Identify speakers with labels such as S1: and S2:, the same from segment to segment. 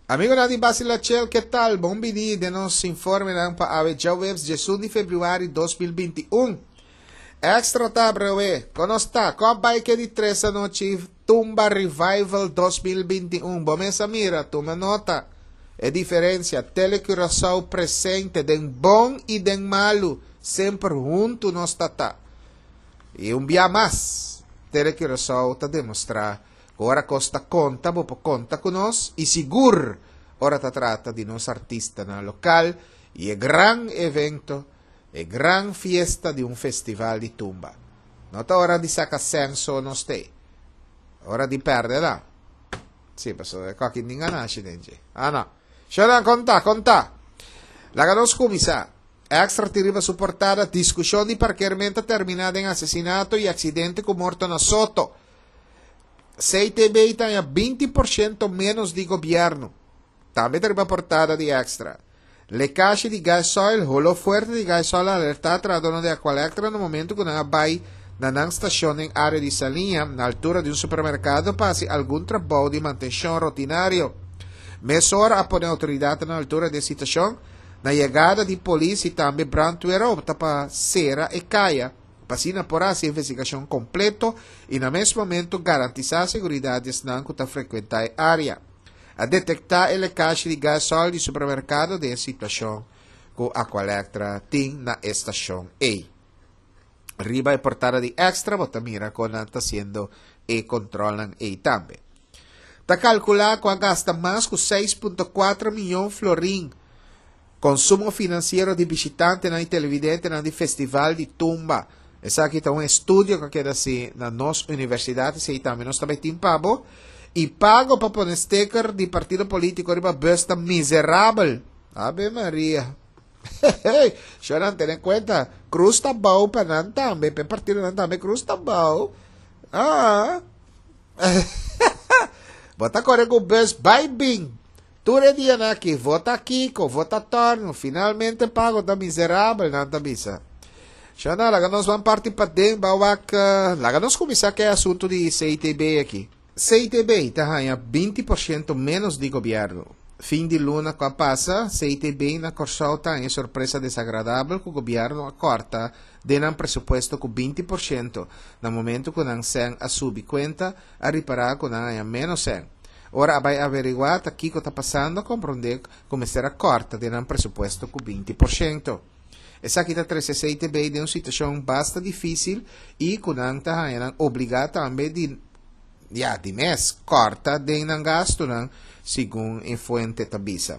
S1: Amigonan di Basila Chel, ke tal? Bon bini den nos informenan pa awe djaweps djesun di februari 2021. Extra ta brewe, kon nos ta? Kon bai ke di tres anochi Tumba Revival 2021? Bo mes a mira, tuma nota. E diferencia, Tele Curaçao presente den bon i den malu, semper huntu nos ta ta. I un bia mas, Tele Curaçao ta demostra Ku ora kos ta konta bo por konta ku nos i sigur ora ta trata di nos artistanan lokal i e gran evento, e gran fiesta di un festival di tumba. No ta ora di saka sèn so nos t'ei. Ora di pèrdè nan. Sí, pasobra e kòki tin ganashi den dje. Ah no. Shownan konta, konta! Laga nos kuminsá. Extra tin riba su portada, Diskushon di parkerment a terminá den asesinato i aksidente ku morto na Soto. CTB ta haña 20% ménos di gobièrnu. Tambe ta riba portada di Extra. Lekashi di gasoil, holó fuerte di gasoil a alertá trahadónan di Aqualectra na momentu ku nan a bai na nan stashon den área di Saliña, na altura di un supermerkado pa hasi algun trabou di mantenshon rutinario. Mesora a pone outoridatnan na altura di e situashon. Na yegada di polis i tambe brandweer a opta pa sera e kaya. Pa asina por hasi investigashon kompleto i na mes momento garantisá seguridat di esnan ku ta frekuentá e área. A detektá e lekashi di gasòl di supermerkado den e situashon ku Aqualectra tin na e stashon ei. Riba e portada di Extra bo ta mira kon nan ta hasiendo e kontrolnan ei tambe. Ta kalkulá ku a gasta mas ku 6.4 mion florin Konsumo finansiero di bishitantenan i televidentenan di Festival di Tumba. Esaki ta un estudio ku a keda hasi na nos universidat, esei tambe nos ta bai tin pa bo. I pago pa pone steker di partido polítiko riba bus ta miserabel. Ave Maria. Hey, shornan tene kuenta, krus ta bou pa nan tambe, pa e partidonan tambe krus ta bou. Ah. Bo ta kore ku bus bai bin. Tur e dianan aki, vota kiko, vota torno, finalmente pago ta miserabel, nan ta bisa. Shana, laga nos ban parti paden, ban wak, laga nos kuminsá ku e asuntu di CTB aki. CTB ta haña 20% ménos di gobièrnu. Fin di luna ku a pasa, CTB na Kòrsou ta haña e sorpresa desagradabel ku gobièrnu a kòrta den nan presupuesto ku 20% na momentu ku nan sèn a subi kuenta a ripará ku nan haña ménos sèn. Ora a bai averiguá ta kiko ta pasando a komprondé ku mester a kòrta den nan presupuesto ku 20%. Esaki ta trese CTB den un situashon basta difísil i ku nan ta haña nan obligá tambe di, ya, di mes kòrta den nan gastunan, segun e fuente ta bisa.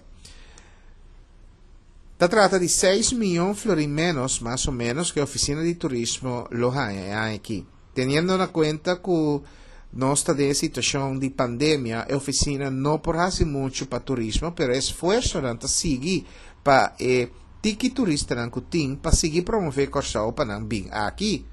S1: Ta trata di seis mion florin ménos, mas o ménos, ku e ofisina di turismo lo haña e aña akí. Teniendo na kuenta ku nos ta den e situashon di pandemia, e ofisina no por hasi muchu pa turismo, pero e esfuersonan ta sigui pa e tiki turistanan ku tin pa sigui promové Kòrsou pa nan bin aki.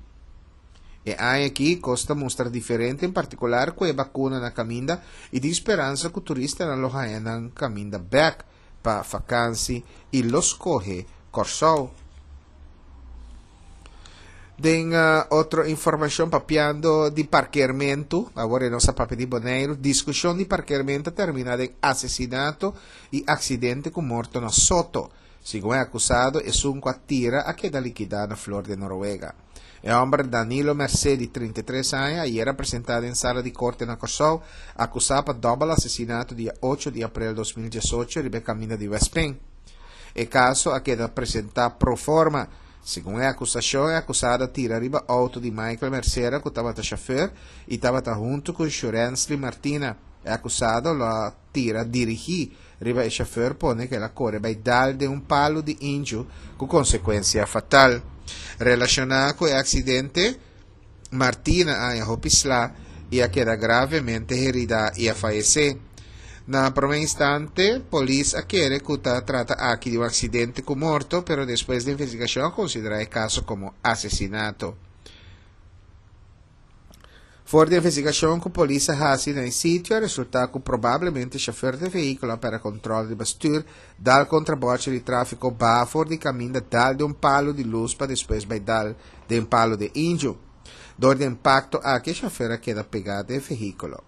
S1: E aña aki kos ta mustra diferente en partikular ku e bakuna na kaminda i tin speransa ku turistanan lo haña nan kaminda bèk pa fakansi i lo skohe Kòrsou. Den otro informashon papiando di parkeermentu, awor e nos a papia di Boneiru, diskushon di parkeermentu a terminá den asesinato i aksidente ku morto na Soto. Segun e akusado, esun ku a tira a keda likidá na Flor de Noruega. E hòmber Danilo Mercé di 33 aña ayer a presentá den sala di korte na Kòrsou, akusá pa dòbel asesinato dia ocho di aprel 2018 riba e kaminda di Westpen. E kaso a keda presentá pro forma. Segun e akusashon, e akusado a tira riba outo di Michael Mercera ku tabata shofèr i tabata huntu ku Shurensly Martina. E akusado lo a tira dirigí riba e shofèr pone ku el a kore bai dal den un palu di inju ku konsekuensia fatal. Relashoná ku e aksidente, Martina a haña hopi sla i a keda gravemente heridá i a fayesé. Na promé instante, polis a kere ku ta trata aki di un aksidente ku morto, pero despues di investigashon a konsiderá e kaso komo asesinato. For di investigashon ku polis a hasi na e sitio a resultá ku probablemente shofèr di e vehíkulo a pèrdè kòntròl riba stür, dal kontra bòrchi di tráfiko, baha for di kaminda, dal den un palu di lus pa despues bai dal den palu di inju. Dor di e impakto aki e shofèr a keda pegá den e vehíkulo.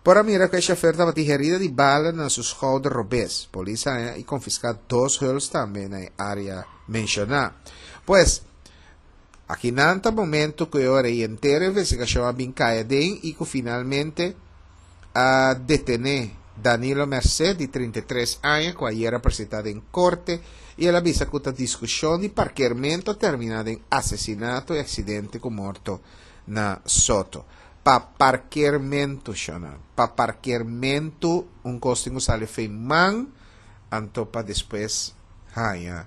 S1: Por a mira ku e shofer tabatin herida di bala na su skouder robes. Polis a haña i konfiská dos huls tambe na e área menshoná. Pues, akinan ta momento ku e ora ei henter e investigashon a bin kai aden i ku finalmente a detené Danilo Merced di 33 aña ku ayer a presentá den korte i el a bisa ku ta diskushon di parkermentu a terminá den asesinato i aksidente ku morto na Soto. Pa parkermentu, shona. Pa parkermentu un kos tin ku sali fei man anto pa despues haña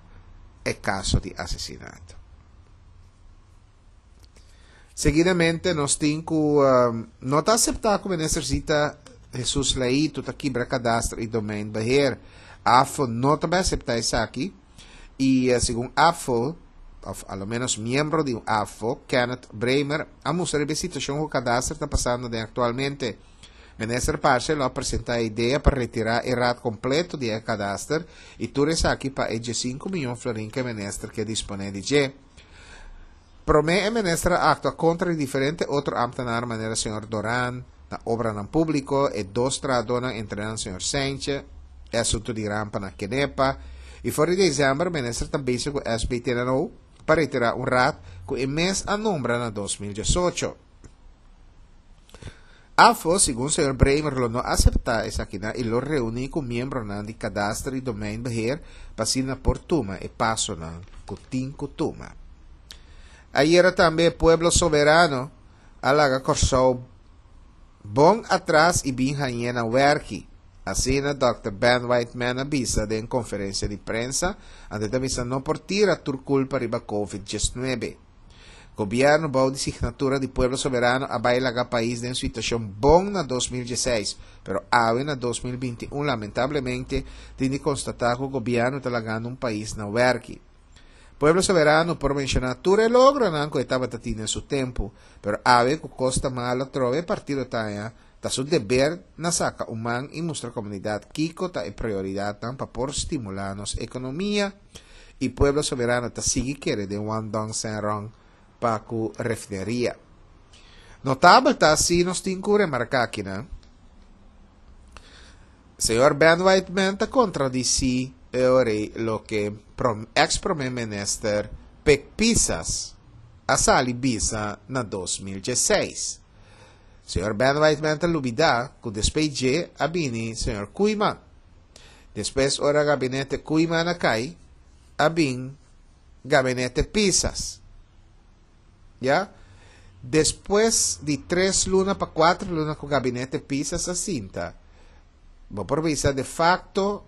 S1: e kaso di asesinato. Seguidamente nos tin ku no ta aseptá ku Minister Zita Jesus Leito ta kibra Kadastre i Domeinbeheer. AFO no ta bai aseptá esaki i segun AFO, òf a lo ménos miembro di AFO, Kenneth Bremer, a mustra riba e situashon ku Kadastre ta pasando den aktualmente. Minister Parse lo a presentá e idea pa retirá e raad kompleto di e Kadaster i tur esaki pa e diesinku miyon florin ku e minister ke disponé di dje. Promé e minister a aktua kontra di diferente otro ámtenar manera señor Doran na Obranan Públiko, e dos trahadónan entre nan señor Seintje, e asuntu di rampa na Kenepa, i for di desèmber minister ta bezig ku SBTNO pa retirá un raad ku e mes a nombra na 2018. Afo, segun señor Bremer lo no aseptá esakinan i lo reuní ku miembronan di Kadaster i Domeinbeheer pa asina por tuma e pasonan ku tin ku tuma. Ayera tambe e Pueblo Soberano a laga Kòrsou bon atras i bin hañ'é na wèrki. Asina dòkter Ben Whiteman a bisa den konferensia di prensa, anto e ta bisa no por tira tur kulpa riba Covid 19. Gobièrnu bou di signatura di Pueblo Soberano a bai laga pais den situashon bon na 2016, pero awe na 2021 lamentablemente tin di konstatá ku gobièrnu ta lagando un pais na wèrki. Pueblo Soberano por menshoná tur e logronan ku e tabata tin den su tempu, pero awe ku kos ta malo atrobe e partido ta haña ta su deber na saka un man i mustra komunidat kiko ta e prioridatnan pa por stimulá nos ekonomia i Pueblo Soberano ta sigui kere den Wandong Senrong pa ku refineria. Notabel ta si nos tin ku remarká akinan, Señor Ben Whiteman ta kontradisí e ora ei loke eks prome minister Pik Pisas a sali bisa na 2016. Señor Ben Whiteman ta lubidá ku despues dje a bini señor Koeiman. Despues ora gabinete Koeiman a kai, a bin gabinete Pisas. Ya. Despues di tres luna pa kuater luna ku gabinete Pisas a sinta, bo por bisa de facto,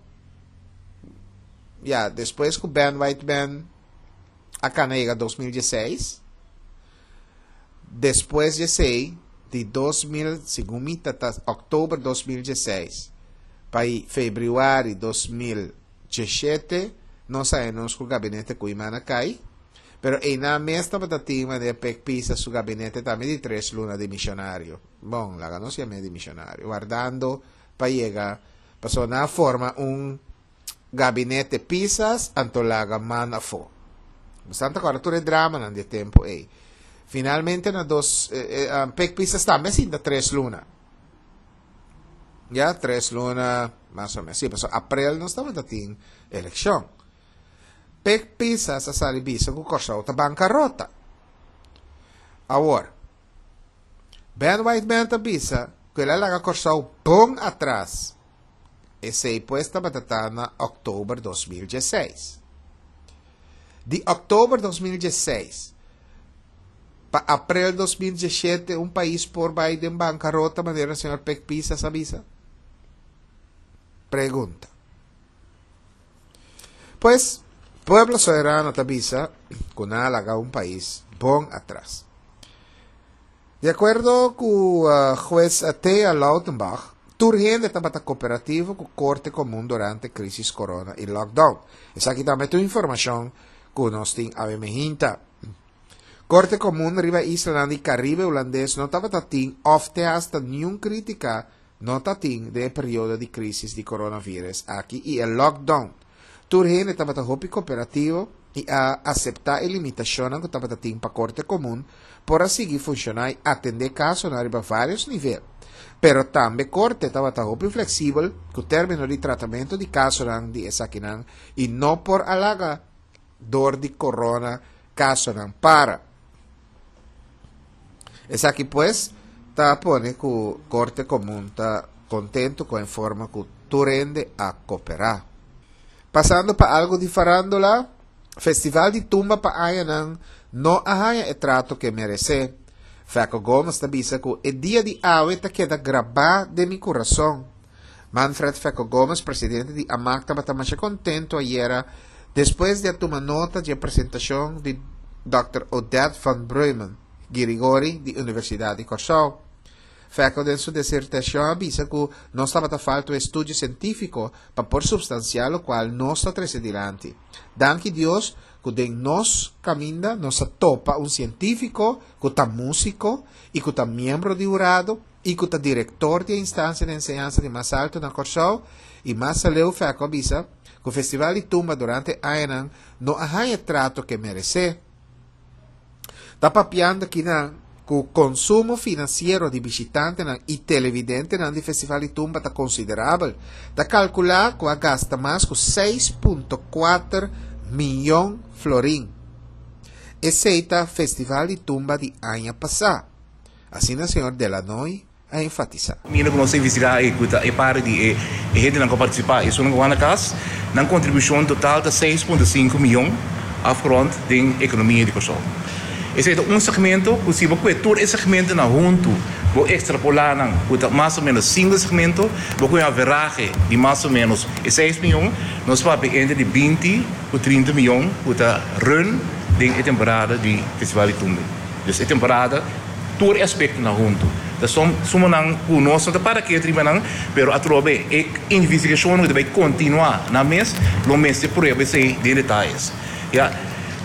S1: ya, despues ku Ben Whiteman a kana yega 2016, despues di esei, di 2000, segun mi ta ta oktober 2016, pa februari 2017, nos a nos ku gabinete Koeiman a kai. Pero einan mes tabata tin manera Pek Pisa su gabinete tambe di tres luna di misionario. Bon, laga nos yam'é di misionario. Wardando pa yega, pasobra nan a forma un gabinete Pisas, anto laga man afó. Bastante acorda tur e dramanan di e tempo ei. Finalmente na dos, eh, eh, Pek Pisas tambe a sinta tres luna. Ya, tres luna, mas o menos. Sí, pasobra aprel nos tabata tin eleccion. Pek Pisas a sali bisa ku Kòrsou ta bankarota. Awor, Ben Whiteman ta bisa ku el a laga Kòrsou bon atras. Esei pues tabata ta na òktober 2016. Di òktober 2016 pa aprel 2017 un pais por bai den bankarota manera señor Pek Pisas a bisa? Pregunta. Pues, Pueblo Soberano ta bisa ku nan a laga un pais bon atras. Di akuerdo ku hues Thea Lautenbach, tur hende tabata kooperativo ku Korte Komun durante krisis corona i lockdown. Esaki tambe ta un informashon ku nos tin awe mehinta. Korte Komun riba islanan di Karibe Hulandes no tabata tin òf te hasta niun krítika No ta tin den e periodo di crisis di coronavirus aki y e lockdown. Tur hende tabata hopi cooperativo. i a aseptá e limitashonnan ku tabata tin pa Korte Komun por a sigui funshoná i atendé kasonan riba vários nivel. Pero tambe Korte tabata hopi fleksibel ku término di tratamentu di kasonan di esakinan i no por a laga dor di korona kasonan para. Esaki pues ta pone ku Korte Komun ta kontentu ku e forma ku tur hende a koperá. Pasando pa algu di farándula, Festival di Tumba pa añanan no a haña e trato ku e meresé. Fecco Gomez ta bisa ku e dia di awe ta keda grabá den mi kurason. Manfred Fecco Gomez, presidente di amak tabata masha kontentu ayera despues di a tuma nota dje presentashon di dòkter Odette van Breumen Girigori di Universidat di Kòrsou. Fecco den su disertashon a bisa ku nos tabata falta un estudio sientífiko pa por supstansiá lokual nos ta trese dilanti. Danki Dios ku den nos kaminda nos a topa un sientífiko ku ta músiko i ku ta miembro di hurado i ku ta direktor di e instansia di enseñansa di mas altu na Kòrsou i mas aleu Fecco a bisa ku Festival di Tumba durante añanan no a haña e trato ku e meresé. Ta papiando kinan ku konsumo finansiero di bishitantenan i televidentenan di Festival di Tumba ta konsiderabel. Ta kalkulá ku a gasta mas ku 6.4 miyon florin. Esei ta Festival di Tumba di aña pasá. Asina señor Delanoy a enfatisá.
S2: Mira ku nos a investigá i ku ta e parti di e hendenan ku a partisipá i esunnan ku a wak na kas, nan kontribushon total ta 6.5 miyon afgerond den ekonomia di Kòrsou. Esei ta un segmento ku si bo kue tur e segmentonan huntu, bo ekstrapolá nan ku ta mas o ménos sinku segmento, bo kue un averahe di mas o ménos e seis miyon, nos papia entre di 20 ku 30 miyon ku ta run den e temporada di Festival di Tumbe. Dus e temporada. Tur e aspektonan huntu ta son sumonan ku nos no ta para ket riba nan, pero atrobe e investigashonnan ku ta bai kontinuá nan mes lo mester prueba esei den detayes. Ya,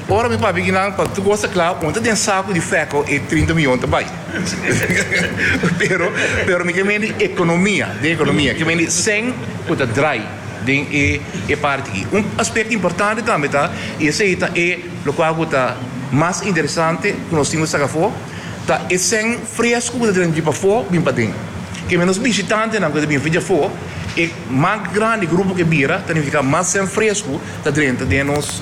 S2: ora mi papia kinan pa tur kos ta kla, un ta den saku di fèko e 30 miyon ta bai. Pero, pero mi ke mende ekonomia, den ekonomia, ke mende sèn ku ta drai den e e parti aki. Un aspekto importante tambe ta, i esei ta e Lokual ku ta mas interesante ku nos tin ku saka afó ta e sèn fresku ku ta drenta di pafó bin paden. Ke menos bishitantenan ku ta bin for di afó, e mas grandi grupo ku e bira ta nifiká mas sèn fresku ta drenta den nos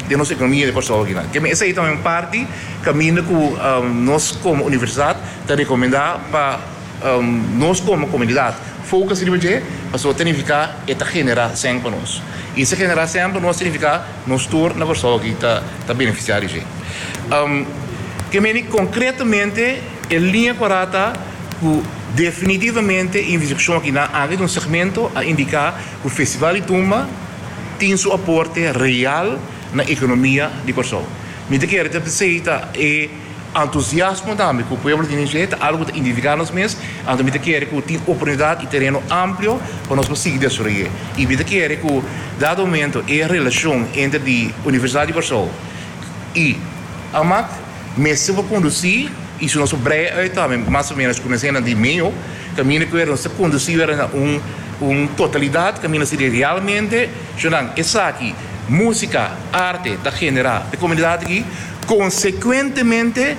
S2: den nos ekonomia di Kòrsou akinan. Ke men esei tambe un parti kaminda ku nos komo universidat ta rekomendá pa nos komo komunidat focus riba dje pasobra ta nifiká e ta generá sèn pa nos. I si e generá sèn pa nos ta nifiká Nos tur na Kòrsou aki ta ta benefisiá di dje. Ke meni konkretamente e liña kòrá ta ku definitivamente e investigashon aki nan aki den un segmento a indiká ku Festival di Tumba tin su aporte real na ekonomia di Kòrsou. Mi ta kere ta p'esei ta e Antusiasmo tambe ku pueblo tin dje ta algu ku ta identifiká nos mes, anto mi ta kere ku tin oportunidat i tereno amplio pa nos por sigui desaroy'é. I mi ta kere ku dado momento e relashon entre di Universidat di Kòrsou i Amak mester por kondusí i si nos por brei uit tambe mas o ménos ku nos hende di meo kaminda ku nos ta kondusí wèr na un un totalidat kaminda si realmente shonnan esaki músika, arte ta generá pa e komunidat aki. Konsekuentemente,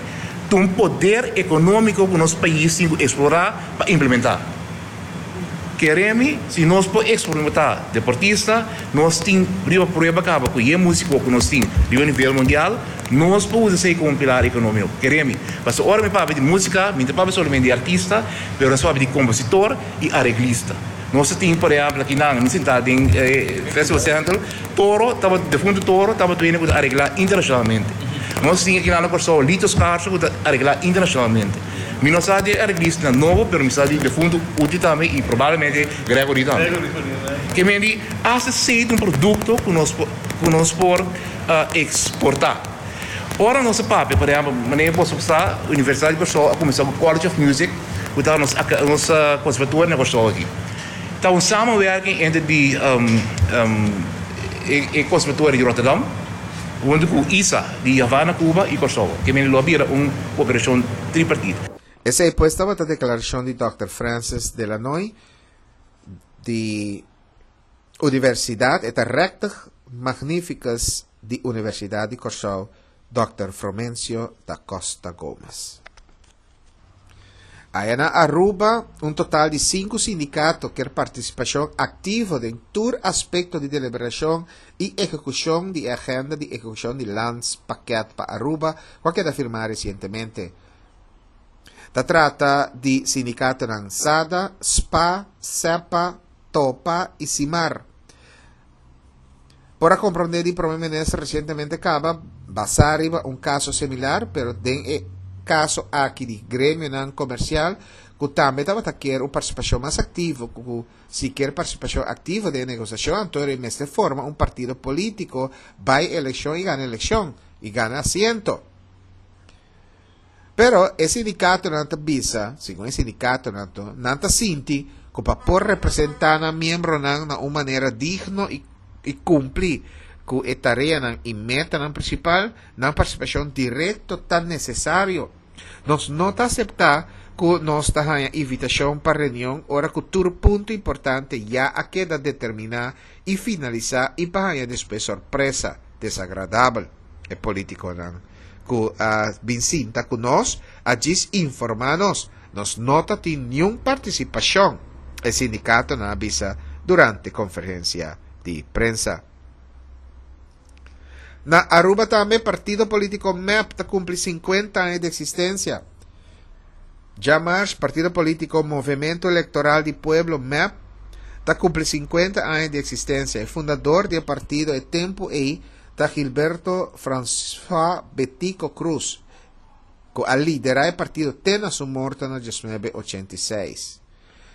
S2: ta un poder ekonómiko ku nos pais tin ku eksplorá pa implementá. Kere mi, si nos por eksperimentá deportista, nos tin riba prueba kaba ku e músiko ku nos tin riba nivel mundial, nos por usa esei komo un pilar ekonómiko. Kere mi, pasobra ora mi papia di músika, mi no ta papia solamente di artista, pero nos papia di kompositor i areglista. Nos ta tin, por ehèmpel, akinan, mi sintá den e Festival Central, Toro tabata, defuntu Toro tabata hende ku ta areglá internashonalmente. Nos tin akinan na Kòrsou Lito Scarso ku ta areglá internashonalmente. Mi no sa di e areglistanan nobo, pero mi sa di defuntu Uti tambe i probablemente Gregory tambe. Ke men di asta esei ta un produkto ku nos por ku nos por eksportá. Ora nos a papia, por ehèmpel, manera boso sa, Universidat di Kòrsou a kuminsá ku College of Music ku ta nos nos konservatorio na Kòrsou aki. Ta un samenwerking entre di e Conservatorio di Rotterdam hunto cu isa di Havana, Cuba y Corsou. Ke mende lo a bira un cooperacion tripartito.
S1: Esei pues tabata declaracion di Dòkter Francis Delanoy di Universidad. E ta Rector Magnificus. di Universidat di Kòrsou, Dòkter Fromencio da Costa Gomez. Aya na Aruba, un total di sinku sindikato kier partisipashon aktivo den tur aspekto di deliberashon i ehekushon di e agenda di ehekushon di Landspakket pa Aruba ku a keda firmá resientemente. Ta trata di sindikatonan SADA, spa, SEPA, topa i SIMAR. Por a komprondé di Prome Minister resientemente kaba basá riba un kaso similar, pero den e kaso aki di gremionan komersial ku tambe tabata kier un partisipashon mas aktivo ku si kier partisipashon aktivo den e negosiashon anto e mester forma un partido polítiko bai elekshon i gana elekshon i gana asiento. Pero e sindikatonan ta bisa, segun e sindikatonan anto, nan ta sinti ku pa por representá nan miembronan na un manera digno i i kumpli ku e tareanan i metanan prinsipal, nan partisipashon direkto ta nesesario. Nos no ta aseptá ku nos ta haña invitashon pa reunion ora ku tur punto importante ya a keda determiná i finalisá i pa haña despues sorpresa desagradabel, e politikonan ku a bin sinta ku nos a djis informá nos. Nos no ta tin niun partisipashon, e sindikatonan a bisa durante konferensia di prensa. Na Aruba tambe partido polítiko mep ta kumpli 50 aña di eksistensia. Djamars partido polítiko Movemento Electoral di Pueblo, mep, ta kumpli 50 aña di eksistensia. E fundador di e partido e tempu ei ta Gilberto François Betico Croes, ku a liderá e partido te na su morto na diesnuebe ochenta i seis.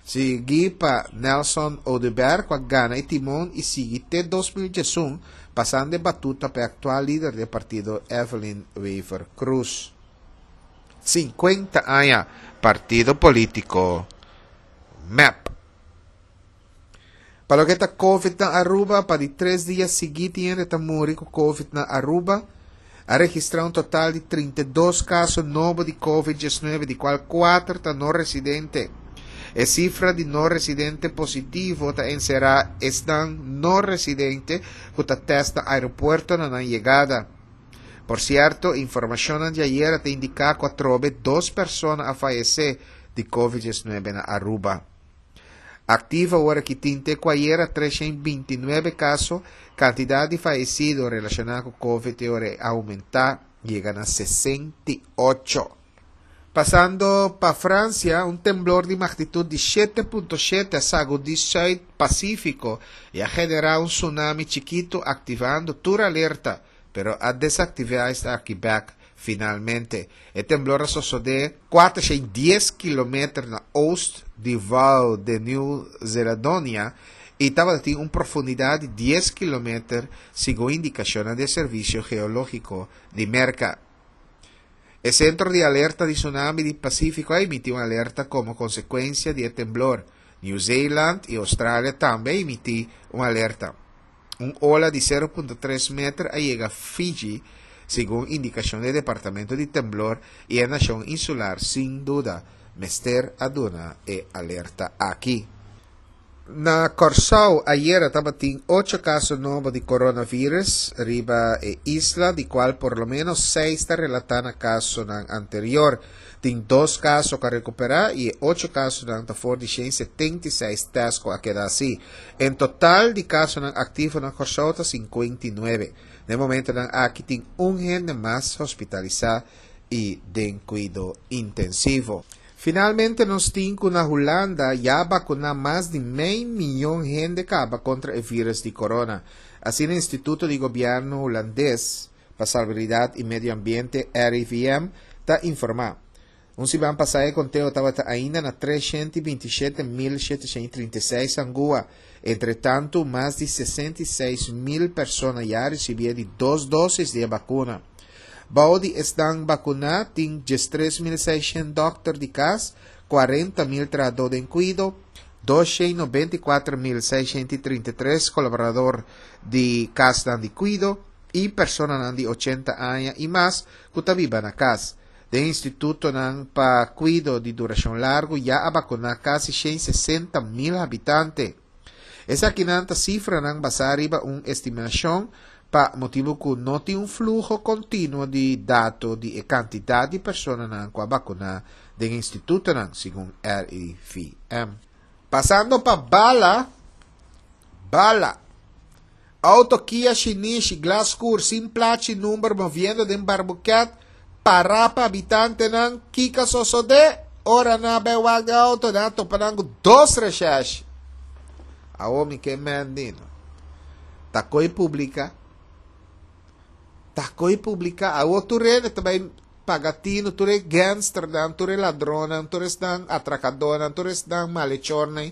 S1: Sigui pa Nelson Oduber ku a gana e timon i sigui te 2011, pasando e batuta pa e aktual lider di e partido Evelyn Wever Croes. 50 aña partido polítiko mep. Pa loke ta Covid na Aruba, pa di tres dia sigui tin hende ta muri ku Covid na Aruba. A registrá un total di 32 kaso nobo di Covid 19, di kual kuater ta no residente. E sifra di no residente positivo ta enserá esnan no residente ku ta tèst na aeropuerto na nan yegada. Por sierto, informashonnan di ayera ta indiká ku atrobe dos persona a fayesé di Covid 19 na Aruba. Aktivo awor aki tin te ku ayera 329 kaso, kantidat di fayesido relashoná ku Covid te ora e oumentá yega na 68. Pasando pa Fransia, un temblor di magnitut di 7.7 a sagudí Sùit Pasífiko i a generá un tsunami chikitu aktivando tur alerta, pero a desaktivá esaki bèk finalmente. E temblor a sosodé 410 kilometer na oost di Val de New Zeladonia i tabatin un profundidat di 10 kilometer, segun indikashonnan di e Servisio Geológiko di Merka. E Sentro di Alerta di Tsunami di Pasífiko a emití un alerta komo konsekuensia di e temblor. New Zealand i Australia tambe a emití un alerta. Un ola di 0.3 meter a yega Fiji, segun indikashon di e Departamento di Temblor i e nashon insular sin duda mester a duna e alerta aki. Na Kòrsou ayera tabatin ocho kaso nobo di coronavirus riba e isla, di kual por lo ménos seis ta relatá na kasonan anterior. Tin dos kaso ku a rekuperá i e ocho kasonan ta for di 176 tèst ku a keda hasí. En total di kasonan aktivo na Kòrsou ta 59. Na e momentonan aki tin un hende mas hospitalisá i den kuido intensivo. Finalmente nos tin ku na Hulanda ya a bakuná mas di mei miyon hende kaba kontra e vírus di korona. Asina Instituto di Gobièrnu Hulandes pa Salubridad i Medio Ambiente, RIVM, ta informá. Un siman pasá e konteo tabata ainda na 327.736 angua. Entretantu, mas di 66.000 persona ya a risibí e di dos dósis di e bakuna. Bou di esnan bakuná tin 13.600 dòkter di kas, 40.000 trahadó den kuido, 294.633 kolaborador di kasnan di kuido i personanan di 80 aña i mas ku ta biba na kas. Den institutonan pa kuido di durashon largu ya a bakuná kasi 160.000 habitante. Esakinan ta sifranan basá riba un estimashon. pa motibu ku no tin un fluho kontinuo di dato di e kantidat di personanan ku a bakuná den e institutonan, segun RIVM. Pasando pa bala, bala. Auto Kia shinishi, glas skur, sin plachi number moviendo den Barbuquet, pará pa habitantenan, kiko a sosodé? Ora nan a bai wak den auto, nan a topa nan ku dos reshèshi. Awor mi ke mendino. Ta koi publica. Ta koi publica. Awor tur hende ta bai paga tino, tur e gangsternan, tur e ladronnan, tur esnan atracadornan, tur esnan malhechornan,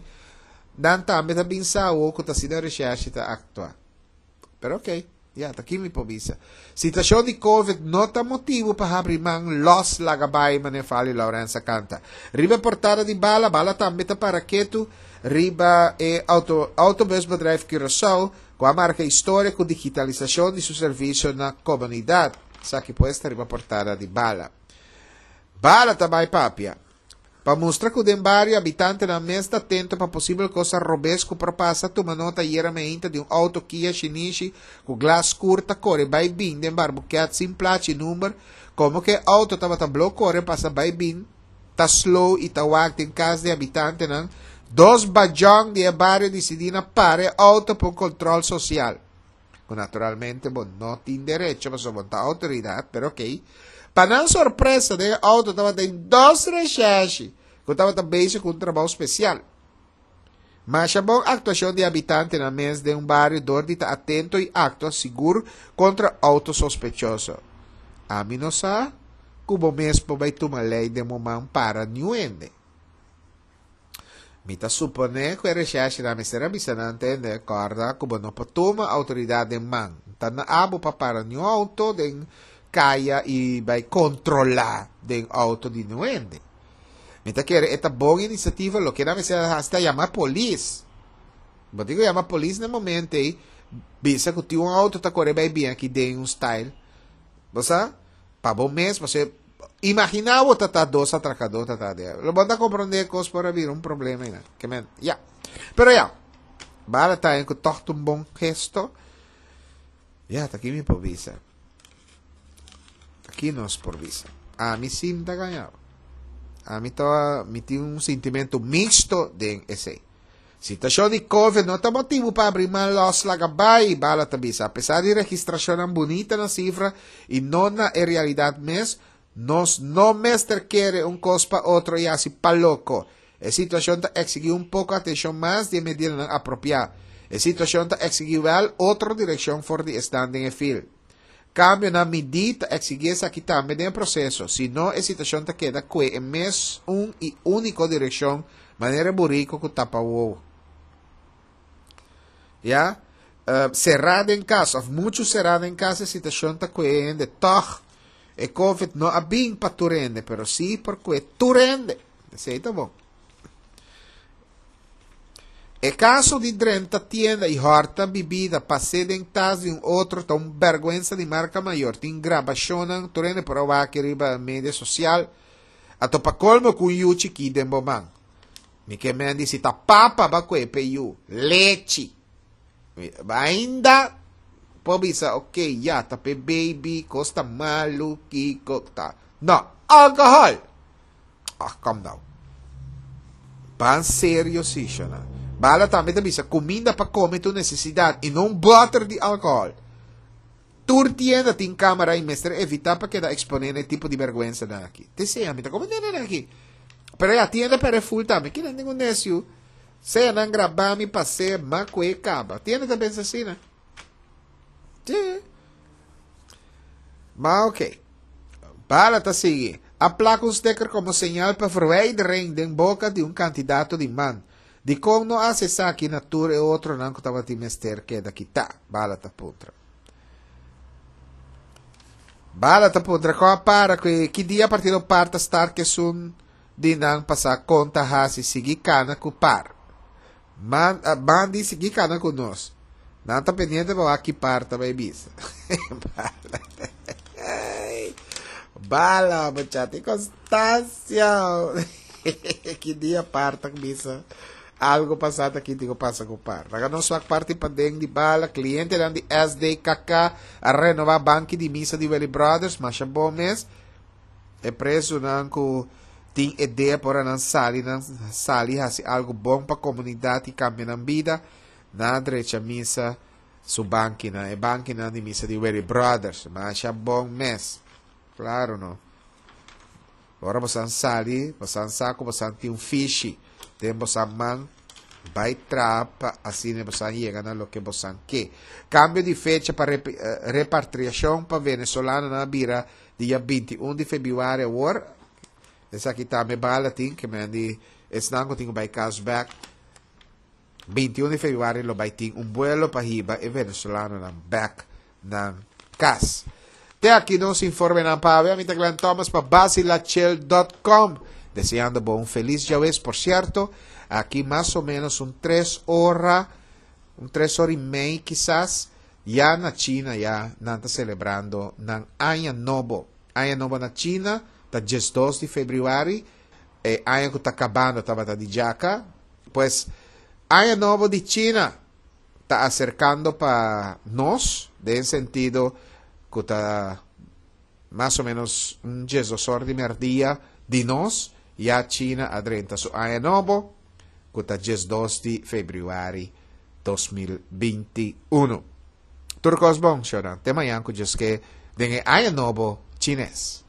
S1: nan tambe ta bin sa awor cu ta asina recherche ta actua. Pero ok, ya, ta ki mi por bisa. Situacion di Covid no ta motibu pa habri man los laga bai, manera Fali Laurens a canta. Riba e portada di Bala, Bala tambe ta para ketu riba e auto, Autobusbedrijf Curaçao, cu a marca historia cu digitalisacion di su servicio na comunidad. Esaki pues ta riba portada di Bala. Bala ta bai papia. Pa mustra cu den bario habitantenan mes ta atento pa posibel cosa robes cu por pasa, tuma nota ayera meinta di un auto Kia shinishi cu glas scur ta core bai bin den Barbuquet sin plachi number, como cu e auto tabata blo core pasa bai bin ta slow y ta wak den cas di habitantenan, dos bajon di e bario dicidi na para e auto pa un control social. Cu naturalmente bo no tin derecho pasobra bo no ta autoridad, pero ok. Pa nan sorpresa den e auto tabatin dos recherche cu tabata bezig cu un trabou special. Masha bon actuacion di habitantenan mes den un bario door di ta atento y actua sigur contra auto sospechoso. Ami no sa cu bo mes por bay tuma ley den bo man para niun hende. Mi ta suponé ku e reshèrshenan mester a bisa nan tende, Kòrda ku bo no por tuma outoridat den man. Ta na abo pa para niun outo den kaya i bai kontrolá den outo di niun hende. Mi ta kere e ta bon inisiativa, loke nan mester a hasi ta yama polis. Bo tin ku yama polis na e momento ei, bisa ku tin un outo ta kore bai bin aki den un style. Bo sa? Pa bo mes, pasobra Imagina bo ta ta dos atracador ta ta de. Lo bo ta comprende cos por a bira un problema ina. Ke men, ya. Pero ya, bala ta en ku toch un bon gesto. Ya, ta ki mi por bisa. Ta ki nos por bisa. A mi sim ta gaña. A mi ta, mi tin un sentimento mixto den esei. Situacion di Covid no ta motibu pa abri man los laga bai, Bala ta bisa. Apesar di registracionnan bunita na cifra y no na e realidad mes, nos no mester kere un cos pa otro y haci pa loco. E situacion ta exigi un poco atencion mas di e medidanan apropia. E situacion ta exigi wel otro direccion for di esnan den e fil. Cambionan midí ta exigi esaki tambe den e proceso, si no e situacion ta keda cue e mes un y unico direccion manera e burico cu tapa wowo. Ya, cerá den cas of mucho cerá den cas e situacion ta cue e hende toch. E covid no a bin pa tur hende, pero si por cue tur hende. Esey ta bon. E kaso di drenta tienda i hòrta bibida pas'é den tas di un otro ta un bèrgwensa di marka mayor. Tin grabashonnan tur hende por a wak riba media sosial. A topa kolmo ku un yu chikí den bo man. Mi ke men di si ta papa ba kue p'e yu lechi. Ainda por bisa ok ya ta p'e baby kos ta malu kiko ta. No, alkohòl! Ah, kom nou. Ban serio si, shona. Bala tambe ta bisa, kuminda pa kome ta un nesesidat i no un bòter di alkohòl. Tur tienda tin kamera i mester evitá pa keda eksponé na e tipo di bèrgwensanan aki. Te sea, mi ta komprendé nan aki. Pero ya, tienda pèrdè ful tambe. Kinan tin un nesiu? Sea nan grabá mi pas'é, m'a kue kaba. Tienda ta pensa asina. Sí. Ma oké. Bala ta sigui. A plak un sticker komo señal pa verwijdering den boka di un kandidato di man. Dikon no hasi esaki na tur e otronan ku tabatin mester keda kitá? Bala ta puntra. Bala ta puntra kon a para ku e ki dia partido par ta start ku esun di nan pasá kon ta hasi sigui kana ku par. Man, man di sigui kana ku nos. Nan ta pendiente pa wak ki par ta bai bisa. Bala. Bala, muchacho. Constancia. Ki dia par ta bisa. Algo pasa ta aki tin ku pasa ku par. Laga nos wak parti paden di bala, klientenan di SDKK a renobá banki di misa di Willy Brothers, masha bon mes. E prezunan ku tin idea por ora nan sali nan sali hasi algo bon pa komunidat i kambia nan bida, nan a drecha misa su bankinan, e bankinan di misa di Willy Brothers, masha bon mes. Claro no. Ora bosan sali, bosan sa ku bosan tin un fishi den bosan man, bai traha pa asina bosan yega na loke bosan ke. Kambio di fecha pa repatriashon pa venezolanonan a bira dia 21 di febrüari awor. Esaki tambe bala tin ke men di esnan ku tin ku bai kas bèk. 21 di febrüari lo bai tin un buelo pa hiba e venezolanonan bèk nan kas. Te aki nos informenan pa awe. Ami ta Glenn Thomas pa basilachel.com. Deseando bo un feliz djawes. Por cierto, aki mas o menos un tres ora, un tres ora y mei kisas, ya na China ya nan ta celebrando nan Aña Nobo. Aña Nobo na China ta 12 di februari. E aña cu ta cabando tabata di djaca. Pues, Aña Nobo di China ta aserkando pa nos den sentido ku ta mas o menos un diesdos or di merdia di nos ya China a drenta su aña nobo ku ta 12 di febrüari 2021. Tur kos bon, shownan. Te mañan ku Dios ke den e aña nobo chines.